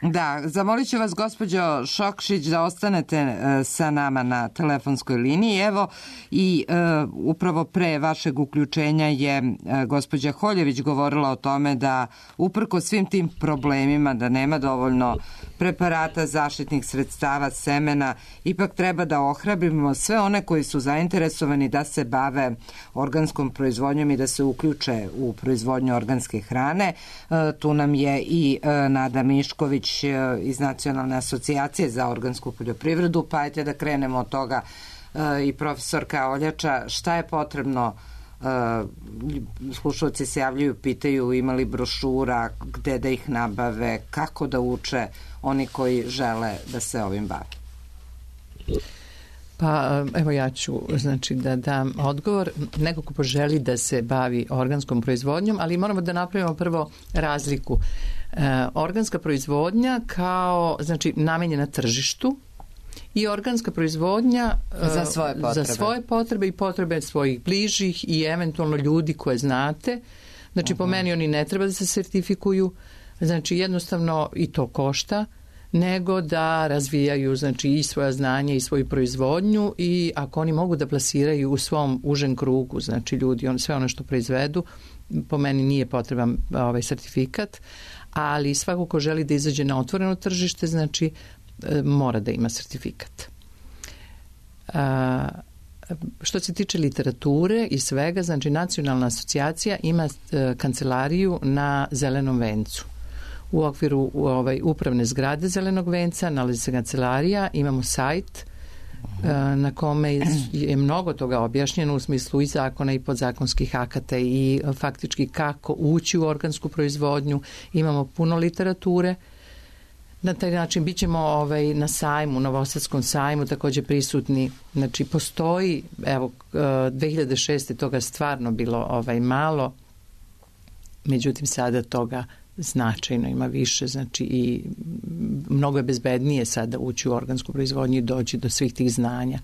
Da, zamolit ću vas, gospođo Šokšić, da ostanete e, sa nama na telefonskoj liniji. Evo, i e, upravo pre vašeg uključenja je e, gospođa Holjević govorila o tome da uprko svim tim problemima, da nema dovoljno preparata, zaštitnih sredstava, semena, ipak treba da ohrabrimo sve one koji su zainteresovani da se bave organskom proizvodnjom i da se uključe u proizvodnju organske hrane. E, tu nam je i e, Nada Mišković iz Nacionalne asocijacije za organsku poljoprivredu, pa ajte da krenemo od toga i profesorka Oljača, šta je potrebno, slušalci se javljaju, pitaju imali brošura, gde da ih nabave, kako da uče oni koji žele da se ovim bave. Pa evo ja ću znači da dam odgovor. Neko ko poželi da se bavi organskom proizvodnjom, ali moramo da napravimo prvo razliku. E, organska proizvodnja kao znači namenjena tržištu i organska proizvodnja e, za svoje potrebe. Za svoje potrebe i potrebe svojih bližih i eventualno ljudi koje znate. Znači uh-huh. po meni oni ne treba da se sertifikuju, znači jednostavno i to košta, nego da razvijaju znači i svoja znanja i svoju proizvodnju i ako oni mogu da plasiraju u svom užem krugu, znači ljudi, on, sve ono što proizvedu, po meni nije potreban ovaj sertifikat, ali svako ko želi da izađe na otvoreno tržište, znači e, mora da ima sertifikat. A, što se tiče literature i svega, znači Nacionalna asocijacija ima e, kancelariju na Zelenom vencu. U okviru u ovaj, upravne zgrade Zelenog venca nalazi se kancelarija, imamo sajt uh-huh. na kome je mnogo toga objašnjeno u smislu i zakona i podzakonskih akata i faktički kako ući u organsku proizvodnju. Imamo puno literature. Na taj način bit ćemo ovaj, na sajmu, Novosadskom sajmu također prisutni. Znači postoji, evo, dve hiljade šeste toga stvarno bilo ovaj, malo, međutim sada toga značajno ima više, znači i mnogo je bezbednije sada ući u organsku proizvodnju i doći do svih tih znanja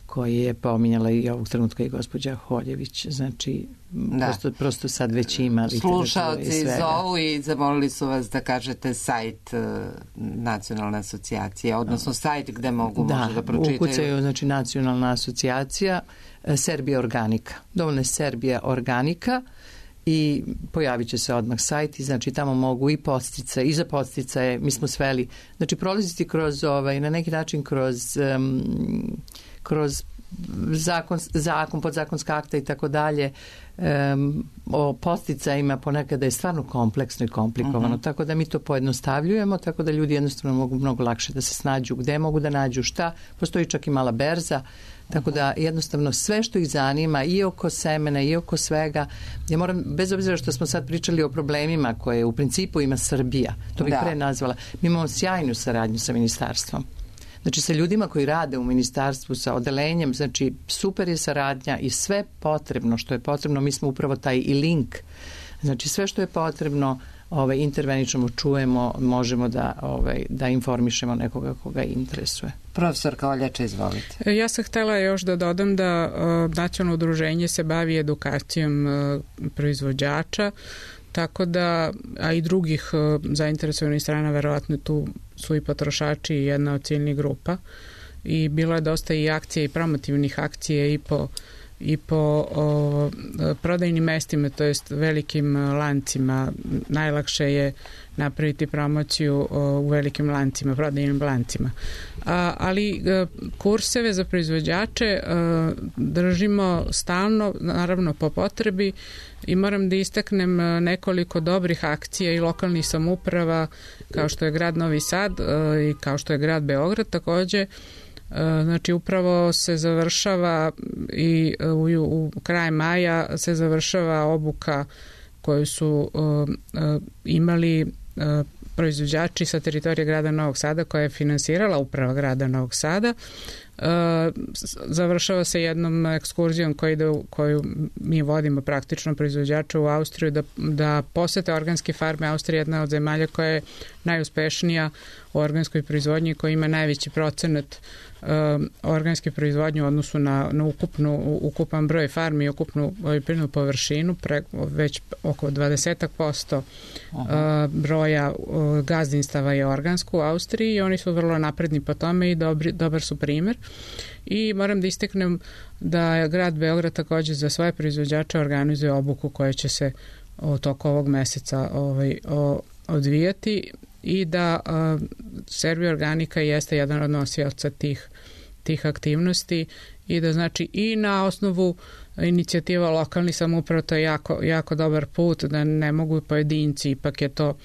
koje je pominjala i ovog trenutka i gospođa Holjević, znači da. prosto, prosto sad već ima slušaoci zovu i zamolili su vas da kažete sajt uh, Nacionalne asocijacije, odnosno sajt gde mogu da, možda da pročitaju. Da, ukucaju znači Nacionalna asocijacija uh, Serbija Organika, dovoljno je Serbija Organika i pojavit će se odmah sajt i znači tamo mogu i podsticaje i za podsticaje, mi smo sveli, znači prolaziti kroz ovaj, na neki način kroz um, kroz zakon, zakon podzakonska akta i tako dalje, um, o podsticajima ponekada je stvarno kompleksno i komplikovano, uh-huh. tako da mi to pojednostavljujemo, tako da ljudi jednostavno mogu mnogo lakše da se snađu gde mogu da nađu šta, postoji čak i mala berza. Tako da jednostavno sve što ih zanima i oko semena i oko svega, ja moram, bez obzira što smo sad pričali o problemima koje u principu ima Srbija, to bih da. pre nazvala, mi imamo sjajnu saradnju sa ministarstvom. Znači sa ljudima koji rade u ministarstvu, sa odelenjem, znači super je saradnja i sve potrebno što je potrebno, mi smo upravo taj i link, znači sve što je potrebno ovaj, interveničemo, čujemo, možemo da, ovaj, da informišemo nekoga koga interesuje. Profesorka Oljača, izvolite. Ja sam htela još da dodam da uh, nacionalno udruženje se bavi edukacijom uh, proizvođača, tako da, a i drugih uh, zainteresovanih strana, verovatno tu su i potrošači i jedna od ciljnih grupa i bilo je dosta i akcija i promotivnih akcija i po i po o, prodajnim mestima, to jest velikim lancima. Najlakše je napraviti promociju o, u velikim lancima, prodajnim lancima. A, ali a, kurseve za proizvođače a, držimo stalno, naravno po potrebi, i moram da istaknem nekoliko dobrih akcija i lokalnih samouprava kao što je grad Novi Sad a, i kao što je grad Beograd takođe. Znači upravo se završava i u, u kraj maja se završava obuka koju su uh, uh, imali uh, proizvođači sa teritorije grada Novog Sada koja je finansirala uprava grada Novog Sada. Uh, završava se jednom ekskurzijom koju, ide, koju mi vodimo praktično proizvođača u Austriju da, da posete organske farme. Austrija je jedna od zemalja koja je najuspešnija u organskoj proizvodnji, koja ima najveći procenat um, organske proizvodnje u odnosu na, na ukupnu, ukupan broj farmi i ukupnu poljoprivrednu površinu, pre, već oko dvadeset posto uh, broja uh, gazdinstava je organsko u Austriji i oni su vrlo napredni po tome i dobri, dobar su primer. I moram da isteknem da je grad Beograd takođe za svoje proizvođače organizuje obuku koja će se u toku ovog meseca ovaj, o, odvijati i da a, Serbia Organika jeste jedan od nosioca tih, tih aktivnosti i da znači i na osnovu inicijativa lokalnih samouprava to je jako, jako dobar put, da ne mogu pojedinci, ipak je to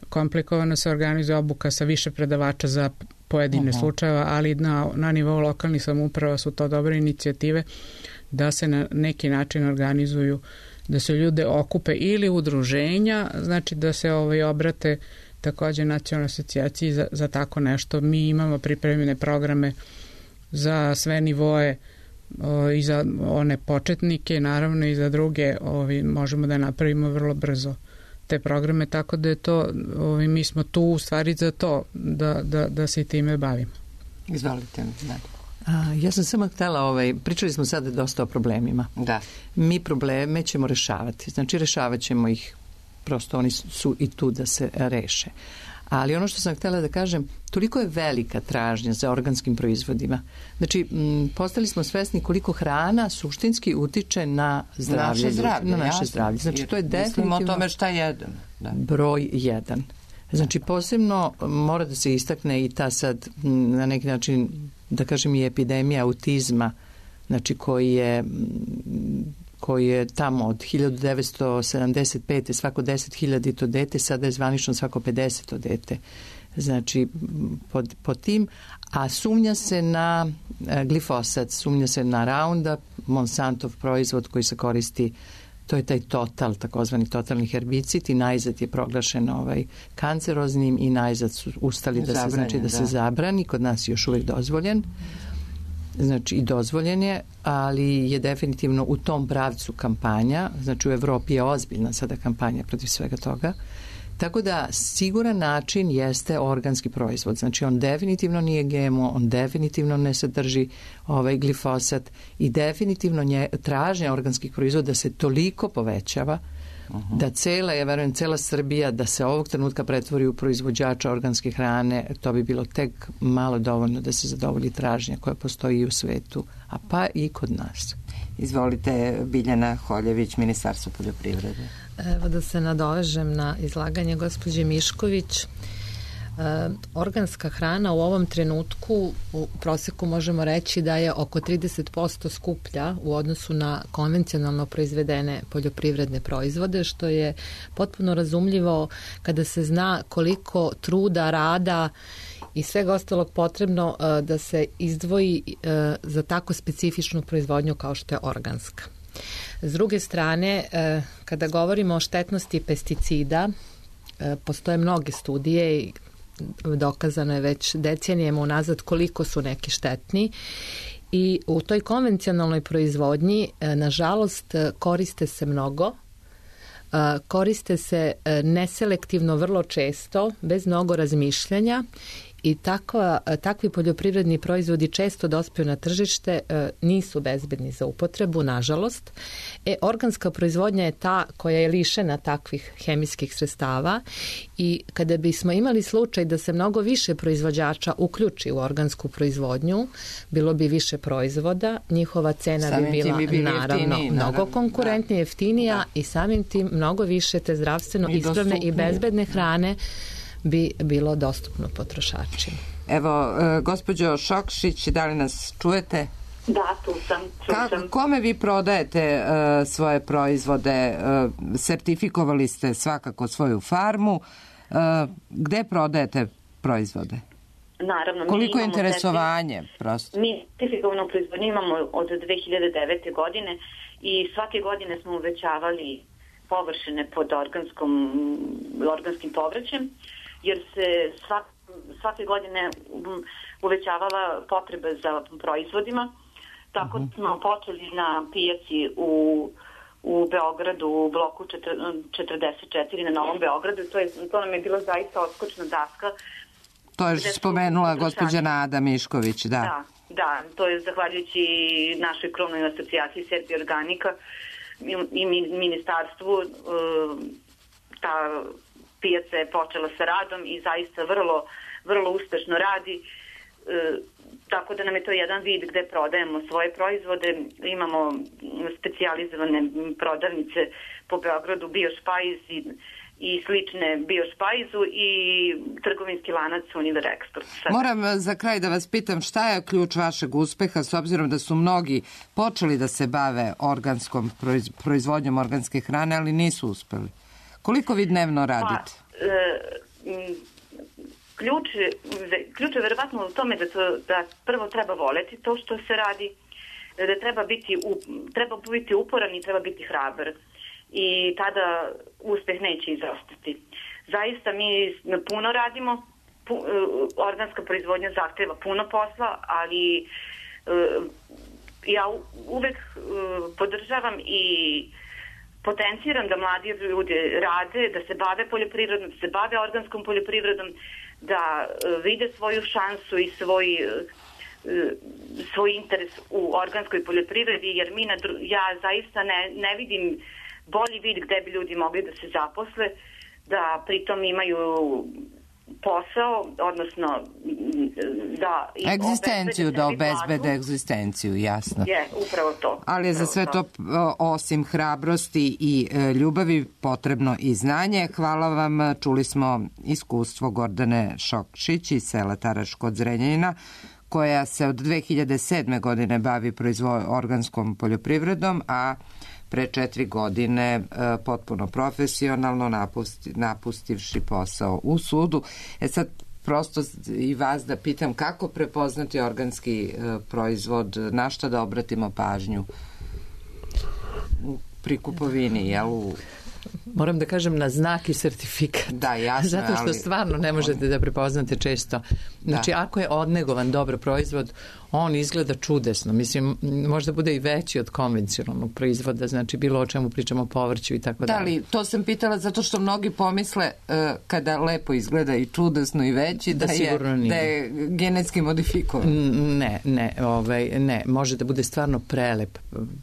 komplikovano, se organizuje obuka sa više predavača za pojedine uh-huh. slučajeva, ali na, na nivou lokalnih samouprava su to dobre inicijative da se na neki način organizuju, da se ljude okupe ili udruženja, znači da se ovaj, obrate takođe nacionalnoj asocijaciji za, za tako nešto. Mi imamo pripremljene programe za sve nivoe o, i za one početnike, naravno i za druge ovi, možemo da napravimo vrlo brzo te programe, tako da je to, ovi, mi smo tu u stvari za to da, da, da se i time bavimo. Izvolite, da. A, ja sam samo htjela, ovaj, pričali smo sada dosta o problemima. Da. Mi probleme ćemo rešavati, znači rešavat ćemo ih, prosto oni su i tu da se reše. Ali ono što sam htjela da kažem, toliko je velika tražnja za organskim proizvodima. Znači, m, postali smo svesni koliko hrana suštinski utiče na zdravlje. Naše zdravlje, na naše jasno. zdravlje. Znači, to je definitivno o tome šta jedem. Da. Broj jedan. Znači, posebno mora da se istakne i ta sad, m, na neki način, da kažem i epidemija autizma, znači koji je koji je tamo od hiljadu devetsto sedamdeset pete svako deset hiljadito dete, sada je zvanično svako pedeseto dete. Znači, pod, pod tim, a sumnja se na glifosat, sumnja se na Roundup, Monsantov proizvod koji se koristi, to je taj total, takozvani totalni herbicid i najzad je proglašen ovaj kanceroznim i najzad su ustali da se, znači, da, da se zabrani, kod nas je još uvijek dozvoljen. Znači i dozvoljen je, ali je definitivno u tom pravcu kampanja, znači u Evropi je ozbiljna sada kampanja protiv svega toga, tako da siguran način jeste organski proizvod, znači on definitivno nije G M O, on definitivno ne sadrži ovaj glifosat i definitivno nje, tražnja organskih proizvoda se toliko povećava uh-huh. da cela, ja verujem, cela Srbija da se ovog trenutka pretvori u proizvođača organske hrane, to bi bilo tek malo dovoljno da se zadovolji tražnja koja postoji i u svetu, a pa i kod nas. Izvolite, Biljana Holjević, Ministarstvo poljoprivrede. Evo da se nadovežem na izlaganje gospođe Mišković. E, organska hrana u ovom trenutku u proseku možemo reći da je oko trideset posto skuplja u odnosu na konvencionalno proizvedene poljoprivredne proizvode, što je potpuno razumljivo kada se zna koliko truda, rada i svega ostalog potrebno uh, da se izdvoji uh, za tako specifičnu proizvodnju kao što je organska. S druge strane, uh, kada govorimo o štetnosti pesticida, uh, postoje mnoge studije i dokazano je već decenijama unazad koliko su neki štetni i u toj konvencionalnoj proizvodnji uh, nažalost koriste se mnogo, uh, koriste se uh, neselektivno vrlo često, bez mnogo razmišljanja i takva, takvi poljoprivredni proizvodi često dospiju na tržište, e, nisu bezbedni za upotrebu, nažalost. E, organska proizvodnja je ta koja je lišena takvih hemijskih sredstava i kada bismo imali slučaj da se mnogo više proizvođača uključi u organsku proizvodnju, bilo bi više proizvoda, njihova cena samim bi bila bi naravno jeftiniji, mnogo naravno. konkurentnije, Da. jeftinija Da. i samim tim mnogo više te zdravstveno I ispravne dostupnije. i bezbedne hrane bi bilo dostupno potrošačima. Evo, e, gospođo Šokšić, da li nas čujete? Da, tu sam. Ka, kome vi prodajete e, svoje proizvode? E, sertifikovali ste svakako svoju farmu. E, gde prodajete proizvode? Naravno. Koliko mi je interesovanje? Certif... Prosto? Mi sertifikovanu proizvodnju imamo od dve hiljade devete. godine i svake godine smo uvećavali površine pod organskom, organskim povrćem, jer se svak, svake godine uvećavala potreba za proizvodima. Tako uh-huh. smo počeli na pijaci u, u Beogradu, u bloku četrdeset četiri na Novom Beogradu. To, je, to nam je bila zaista odskočna daska. To je spomenula gospođa Nada Mišković, da. Da, da, to je zahvaljujući našoj krovnoj asocijaciji Serbi Organika i ministarstvu. Ta pijaca je počela sa radom i zaista vrlo, vrlo uspešno radi. Tako da nam je to jedan vid gde prodajemo svoje proizvode. Imamo specijalizovane prodavnice po Beogradu, Biošpajz i, i slične Biošpajzu i trgovinski lanac Univer Export. Moram za kraj da vas pitam šta je ključ vašeg uspeha s obzirom da su mnogi počeli da se bave organskom proizvodnjom organske hrane, ali nisu uspeli. Koliko vi dnevno radite? Pa, e, Ključ, ključ je verovatno u tome da, to, da prvo treba voleti to što se radi, da treba biti, treba biti uporan i treba biti hrabar. I tada uspeh neće izostati. Zaista mi puno radimo, pu, organska proizvodnja zahteva puno posla, ali ja uvek podržavam i potenciram da mladi ljudi rade, da se bave poljoprivredom, da se bave organskom poljoprivredom, da vide svoju šansu i svoj, svoj interes u organskoj poljoprivredi, jer mi na, ja zaista ne, ne vidim bolji vid gde bi ljudi mogli da se zaposle, da pritom imaju posao, odnosno da... Egzistenciju, da obezbede egzistenciju, jasno. Je, upravo to. Ali je za sve to, osim hrabrosti i ljubavi, potrebno i znanje. Hvala vam, čuli smo iskustvo Gordane Šokšić iz sela Taraš kod Zrenjanina, koja se od dve hiljade sedme. godine bavi proizvo- organskom poljoprivredom, a pre četiri godine e, potpuno profesionalno napusti, napustivši posao u sudu. E sad prosto i vas da pitam kako prepoznati organski e, proizvod, na šta da obratimo pažnju pri kupovini, jel u... Moram da kažem na znak i sertifikat. Da, jasno. Zato što ali... stvarno ne možete da prepoznate često. Znači, da. Ako je odnegovan dobro proizvod, on izgleda čudesno. Mislim, možda bude i veći od konvencionalnog proizvoda, znači bilo o čemu pričamo, povrću i tako dalje. Da, ali to sam pitala zato što mnogi pomisle uh, kada lepo izgleda i čudesno i veći, da, da, je, da je genetski modifikovan. Ne, ne, ovaj, ne. Može da bude stvarno prelep,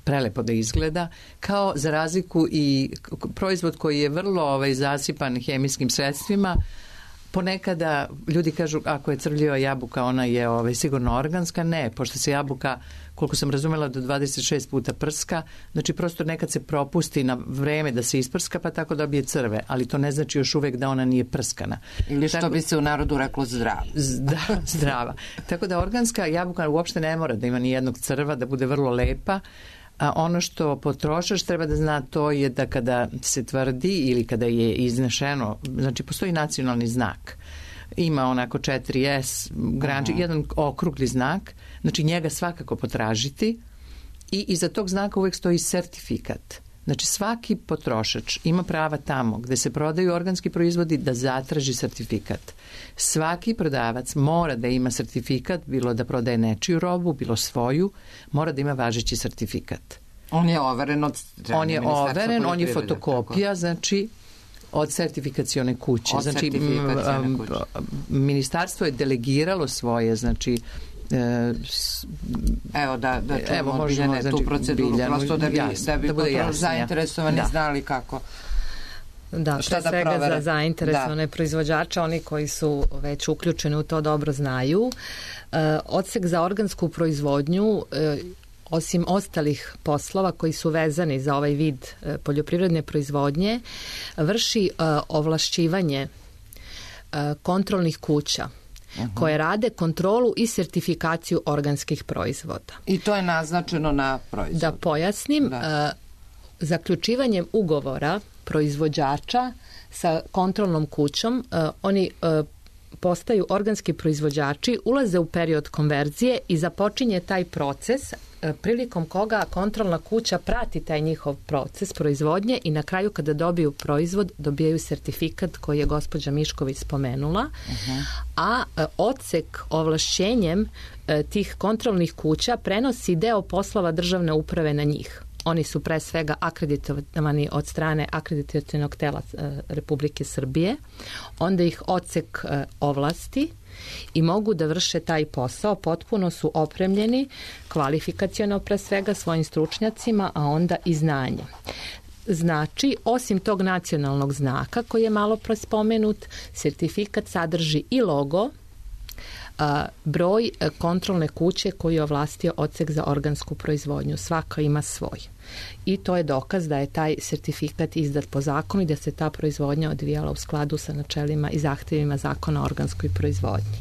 prelepo da izgleda, kao za razliku i proizvod koji je vrlo ovaj, zasipan hemijskim sredstvima. Ponekada ljudi kažu ako je crvljiva jabuka ona je ovaj, sigurno organska. Ne, pošto se jabuka, koliko sam razumela, do dvadeset šest puta prska, znači prosto nekad se propusti na vreme da se isprska pa tako dobije crve, ali to ne znači još uvek da ona nije prskana. Ili što tako, bi se u narodu reklo zdrava. Da, zdrava. Tako da organska jabuka uopšte ne mora da ima ni jednog crva, da bude vrlo lepa. A ono što potrošač treba da zna to je da kada se tvrdi ili kada je iznešeno, znači postoji nacionalni znak. Ima onako četiri es, granči, uh-huh. jedan okrugli znak, znači njega svakako potražiti i iza tog znaka uvek stoji sertifikat. Znači svaki potrošač ima prava tamo gde se prodaju organski proizvodi da zatraži sertifikat. Svaki prodavac mora da ima sertifikat, bilo da prodaje nečiju robu, bilo svoju, mora da ima važeći sertifikat. On je overen od strane On je overen, on je fotokopija, tako. Znači od sertifikacione kuće. Od znači, sertifikacione kuće. Ministarstvo je delegiralo svoje, znači Evo da, da čujemo evo, možemo, Biljane, znači, tu proceduru, Biljanu, prosto da bi, jasno, da bi da bude jasno, zainteresovani da. znali kako. Da, šta pre svega za zainteresovane da. proizvođače, oni koji su već uključeni u to dobro znaju. E, odsek za organsku proizvodnju, e, osim ostalih poslova koji su vezani za ovaj vid e, poljoprivredne proizvodnje, vrši e, ovlašćivanje e, kontrolnih kuća Uh-huh. koje rade kontrolu i sertifikaciju organskih proizvoda. I to je naznačeno na proizvodu. Da pojasnim, da. Uh, zaključivanjem ugovora proizvođača sa kontrolnom kućom, uh, oni uh, postaju organski proizvođači, ulaze u period konverzije i započinje taj proces prilikom koga kontrolna kuća prati taj njihov proces proizvodnje i na kraju kada dobiju proizvod dobijaju sertifikat koji je gospođa Mišković spomenula, uh-huh. a odsek ovlašćenjem tih kontrolnih kuća prenosi deo poslova državne uprave na njih. Oni su pre svega akreditovani od strane akreditacionog tela Republike Srbije, onda ih odsek ovlasti i mogu da vrše taj posao, potpuno su opremljeni kvalifikaciono pre svega svojim stručnjacima, a onda i znanjem. Znači, osim tog nacionalnog znaka koji je malo prospomenut, sertifikat sadrži i logo, broj kontrolne kuće koju je ovlastio odsek za organsku proizvodnju. Svaka ima svoj. I to je dokaz da je taj sertifikat izdat po zakonu i da se ta proizvodnja odvijala u skladu sa načelima i zahtevima zakona o organskoj proizvodnji.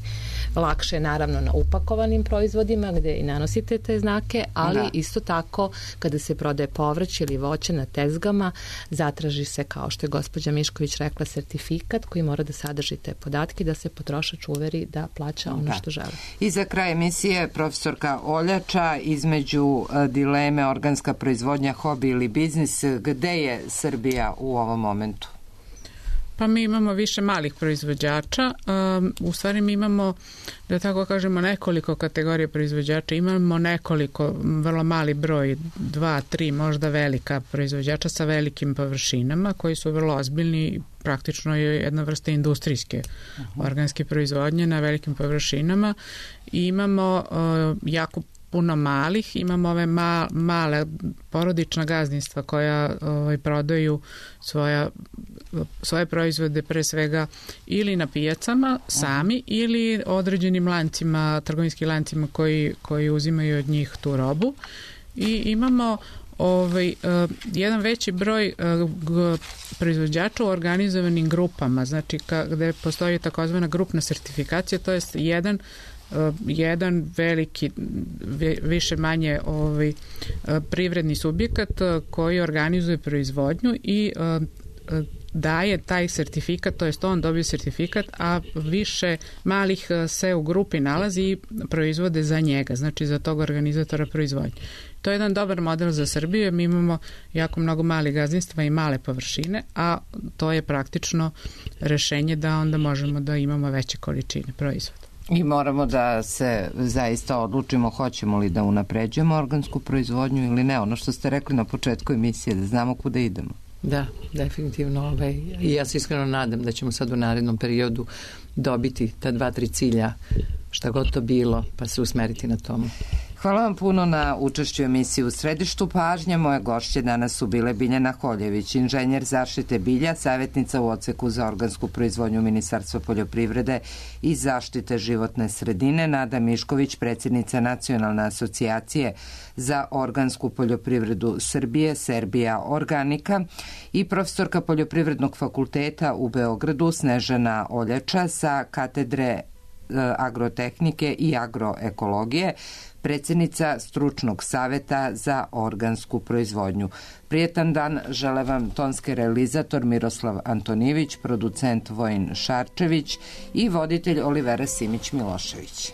Lakše je naravno na upakovanim proizvodima gde i nanosite te znake, ali da. Isto tako kada se prodaje povrće ili voće na tezgama, zatraži se, kao što je gospođa Mišković rekla, sertifikat koji mora da sadrži te podatke da se potrošač uveri da plaća ono da. Što želi. I za kraj emisije profesorka Oljača, između dileme organska proizvodnja, hobi ili biznis, gde je Srbija u ovom momentu? Pa mi imamo više malih proizvođača, um, u stvari mi imamo, da tako kažemo, nekoliko kategorija proizvođača, imamo nekoliko, vrlo mali broj, dva, tri, možda velika proizvođača sa velikim površinama koji su vrlo ozbiljni, praktično je jedna vrsta industrijske uh-huh. organske proizvodnje na velikim površinama i imamo uh, jako puno malih, imamo ove ma, male porodična gazdinstva koja ovaj, prodaju svoja, svoje proizvode pre svega ili na pijacama sami ili određenim lancima, trgovinskim lancima koji, koji uzimaju od njih tu robu i imamo ovaj, uh, jedan veći broj uh, g- proizvođača u organizovanim grupama, znači ka, gde postoji takozvana grupna sertifikacija, to je jedan Uh, jedan veliki, više manje ovaj, uh, privredni subjekat uh, koji organizuje proizvodnju i uh, uh, daje taj sertifikat, to jest on dobije sertifikat, a više malih uh, se u grupi nalazi i proizvode za njega, znači za tog organizatora proizvodnje. To je jedan dobar model za Srbiju, mi imamo jako mnogo malih gazdinstva i male površine, a to je praktično rešenje da onda možemo da imamo veće količine proizvoda. I moramo da se zaista odlučimo hoćemo li da unapređujemo organsku proizvodnju ili ne. Ono što ste rekli na početku emisije, da znamo kuda idemo. Da, definitivno. Ovaj, i ja se iskreno nadam da ćemo sad u narednom periodu dobiti ta dva, tri cilja, šta god to bilo, pa se usmeriti na tomu. Hvala vam puno na učešću emisiji U središtu pažnje. Moje gošće danas su bile Biljana Holjević, inženjer zaštite bilja, savjetnica u odseku za organsku proizvodnju Ministarstva poljoprivrede i zaštite životne sredine, Nada Mišković, predsjednica Nacionalne asocijacije za organsku poljoprivredu Srbije, Serbia Organika, i profesorka Poljoprivrednog fakulteta u Beogradu, Snežana Oljača sa katedre agrotehnike i agroekologije, predsjednica Stručnog saveta za organsku proizvodnju. Prijetan dan žele vam tonski realizator Miroslav Antonijević, producent Vojin Šarčević i voditelj Olivera Simić Milošević.